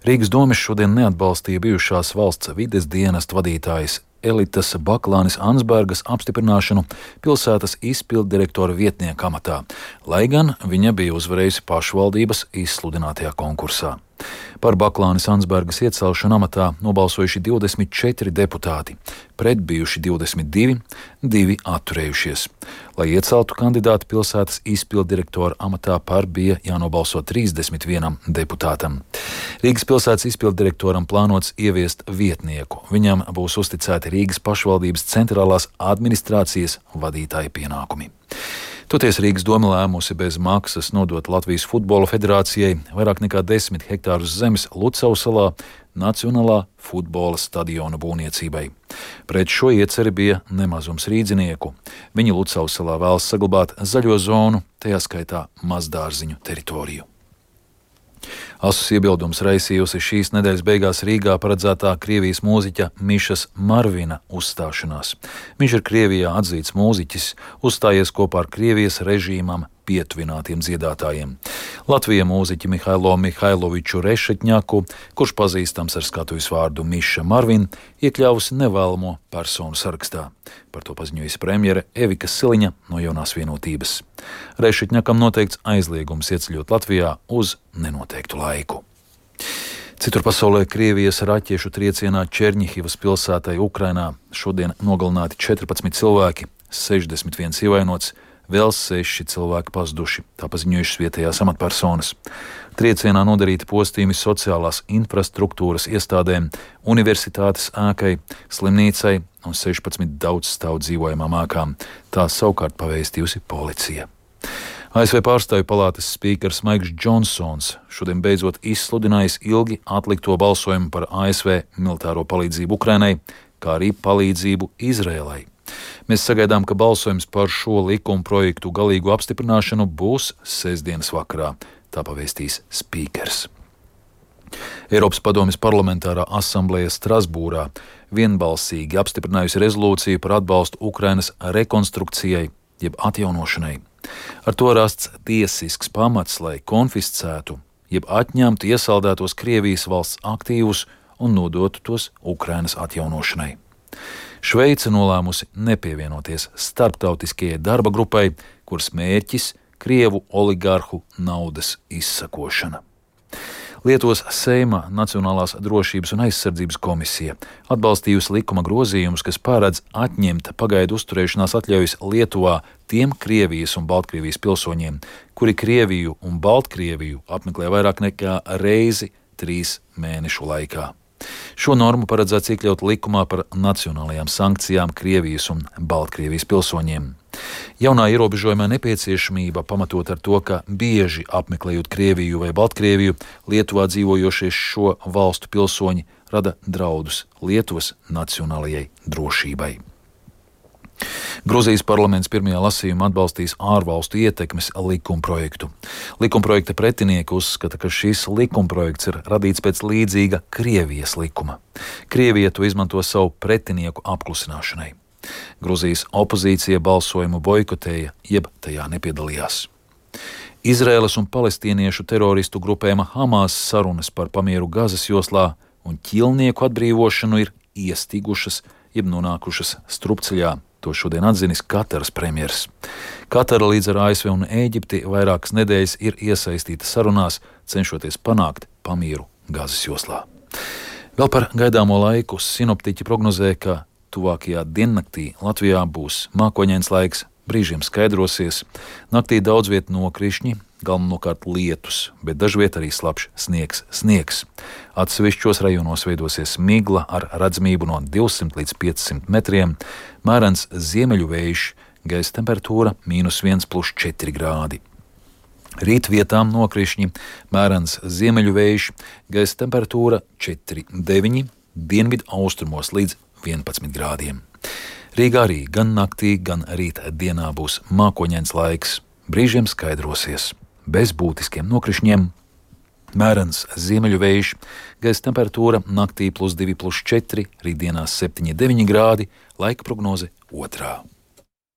Rīgas domes šodien neatbalstīja bijušās valsts vides dienesta vadītājas Elitas Baklānes Ansbergas apstiprināšanu pilsētas izpilddirektora vietnieka amatā, lai gan viņa bija uzvarējusi pašvaldības izsludinātajā konkursā. Par Baklānes Ansbergas iecelšanu amatā nobalsojuši 24 deputāti, pret bijuši 22, 2 atturējušies. Lai ieceltu kandidātu pilsētas izpilddirektora amatā, par bija jānobalso 31 deputātam. Rīgas pilsētas izpilddirektoram plānots ieviest vietnieku. Viņam būs uzticēti Rīgas pašvaldības centrālās administrācijas vadītāja pienākumi. Toties Rīgas doma lēmusi bez maksas nodot Latvijas Futbola federācijai vairāk nekā 10 hektārus zemes Lucavas salā Nacionālā futbola stadiona būvniecībai. Pret šo ieceri bija nemazums rīdzinieku. Viņi Lucavas salā vēlas saglabāt zaļo zonu, tajā skaitā mazdārziņu teritoriju. Asus iebildums raisījusi šīs nedēļas beigās Rīgā paredzētā Krievijas mūziķa Mišas Marvina uzstāšanās. Viņš ir Krievijā atzīts mūziķis, uzstājies kopā ar Krievijas režīmam pietuvinātiem dziedātājiem. Latvijas mūziķi Mihailo Mihailoviču Rešetņaku, kurš pazīstams ar skatuves vārdu Miša Marvin, iekļāvusi nevēlamo personu sarakstā. Par to paziņojusi premjere Evika Siliņa no Jaunās vienotības. Rešetņakam noteikts aizliegums ieceļot Latvijā uz nenoteiktu laiku. Citur pasaulē Krievijas raķešu triecienā Černihivas pilsētai Ukrainā šodien nogalināti 14 cilvēki, 61 ievainots, vēl 6 cilvēki pazuduši, tā paziņojušas vietējās amatpersonas. Triecienā nodarīti postījumi sociālās infrastruktūras iestādēm, universitātes ēkai, slimnīcai un 16 daudzstāvu dzīvojamām ēkām. Tā savukārt pavēstījusi policija. ASV pārstāvju palātas spīkers Maiks Džonsons šodien beidzot izsludinājis ilgi atlikto balsojumu par ASV militāro palīdzību Ukrainai, kā arī palīdzību Izrēlai. Mēs sagaidām, ka balsojums par šo likuma projektu galīgu apstiprināšanu būs sestdienas vakarā, tā pavēstīs spīkers. Eiropas padommes parlamentārā asambleja Strasbūrā vienbalsīgi apstiprinājusi rezolūciju par atbalstu Ukrainas rekonstrukcijai, jeb atjaunošanai. Ar to rasts tiesisks pamats, lai konfiscētu, jeb atņemtu iesaldētos Krievijas valsts aktīvus un nodotu tos Ukrainas atjaunošanai. Šveice nolēmusi nepievienoties starptautiskajai darba grupai, kuras mērķis Krievu oligarhu naudas izsakošana. Lietuvas Seima Nacionālās drošības un aizsardzības komisija atbalstījusi likuma grozījumus, kas paredz atņemt pagaidu uzturēšanās atļaujas Lietuvā tiem Krievijas un Baltkrievijas pilsoņiem, kuri Krieviju un Baltkrieviju apmeklē vairāk nekā reizi 3 mēnešu laikā. Šo normu paredzēts iekļaut likumā par nacionālajām sankcijām Krievijas un Baltkrievijas pilsoņiem. Jaunā ierobežojumā nepieciešamība pamatot ar to, ka bieži apmeklējot Krieviju vai Baltkrieviju, Lietuvā dzīvojošie šo valstu pilsoņi rada draudus Lietuvas nacionālajai drošībai. Gruzijas parlaments pirmajā lasījumā atbalstīs ārvalstu ietekmes likumprojektu. Likumprojekta pretinieki uzskata, ka šis likumprojekts ir radīts pēc līdzīga Krievijas likuma. Krievija to izmanto savu pretinieku apklusināšanai. Gruzijas opozīcija balsojumu boikotēja, jeb tajā nepiedalījās. Izraēlas un palestīniešu teroristu grupējuma Hamas sarunas par pamieru Gazas joslā un ķilnieku atbrīvošanu ir iestigušas, jeb nonākušas strupceļā. To šodien atzinis Kataras premjers. Katara līdz ar ASV un Ēģipti vairākas nedēļas ir iesaistīta sarunās, cenšoties panākt pamieru Gazas joslā. Vēl par gaidāmo laiku sinoptiķi prognozē, ka tuvākajā diennaktī Latvijā būs mākoņains laiks, brīžiem skaidrosies, naktī daudz viet nokrišņi, galvenokārt lietus, bet dažviet arī slapjš sniegs. Atsevišķos rajonos veidosies migla ar redzamību no 200 līdz 500 metriem, mērens ziemeļu vējš, gaisa temperatūra -1+4 grādi. Rīt vietām nokrišņi, mērens ziemeļu vējš, gaisa temperatūra 4,9, dienvidu austrumos līdz 11 grādiem. Rīgā arī gan naktī, gan rīta dienā būs mākoņains laiks, brīžiem skaidrosies, bez būtiskiem nokrišņiem, mērens ziemeļu vējš, gaisa temperatūra naktī +2,+4, rītdienās 7,9 grādi, laika prognoze 2.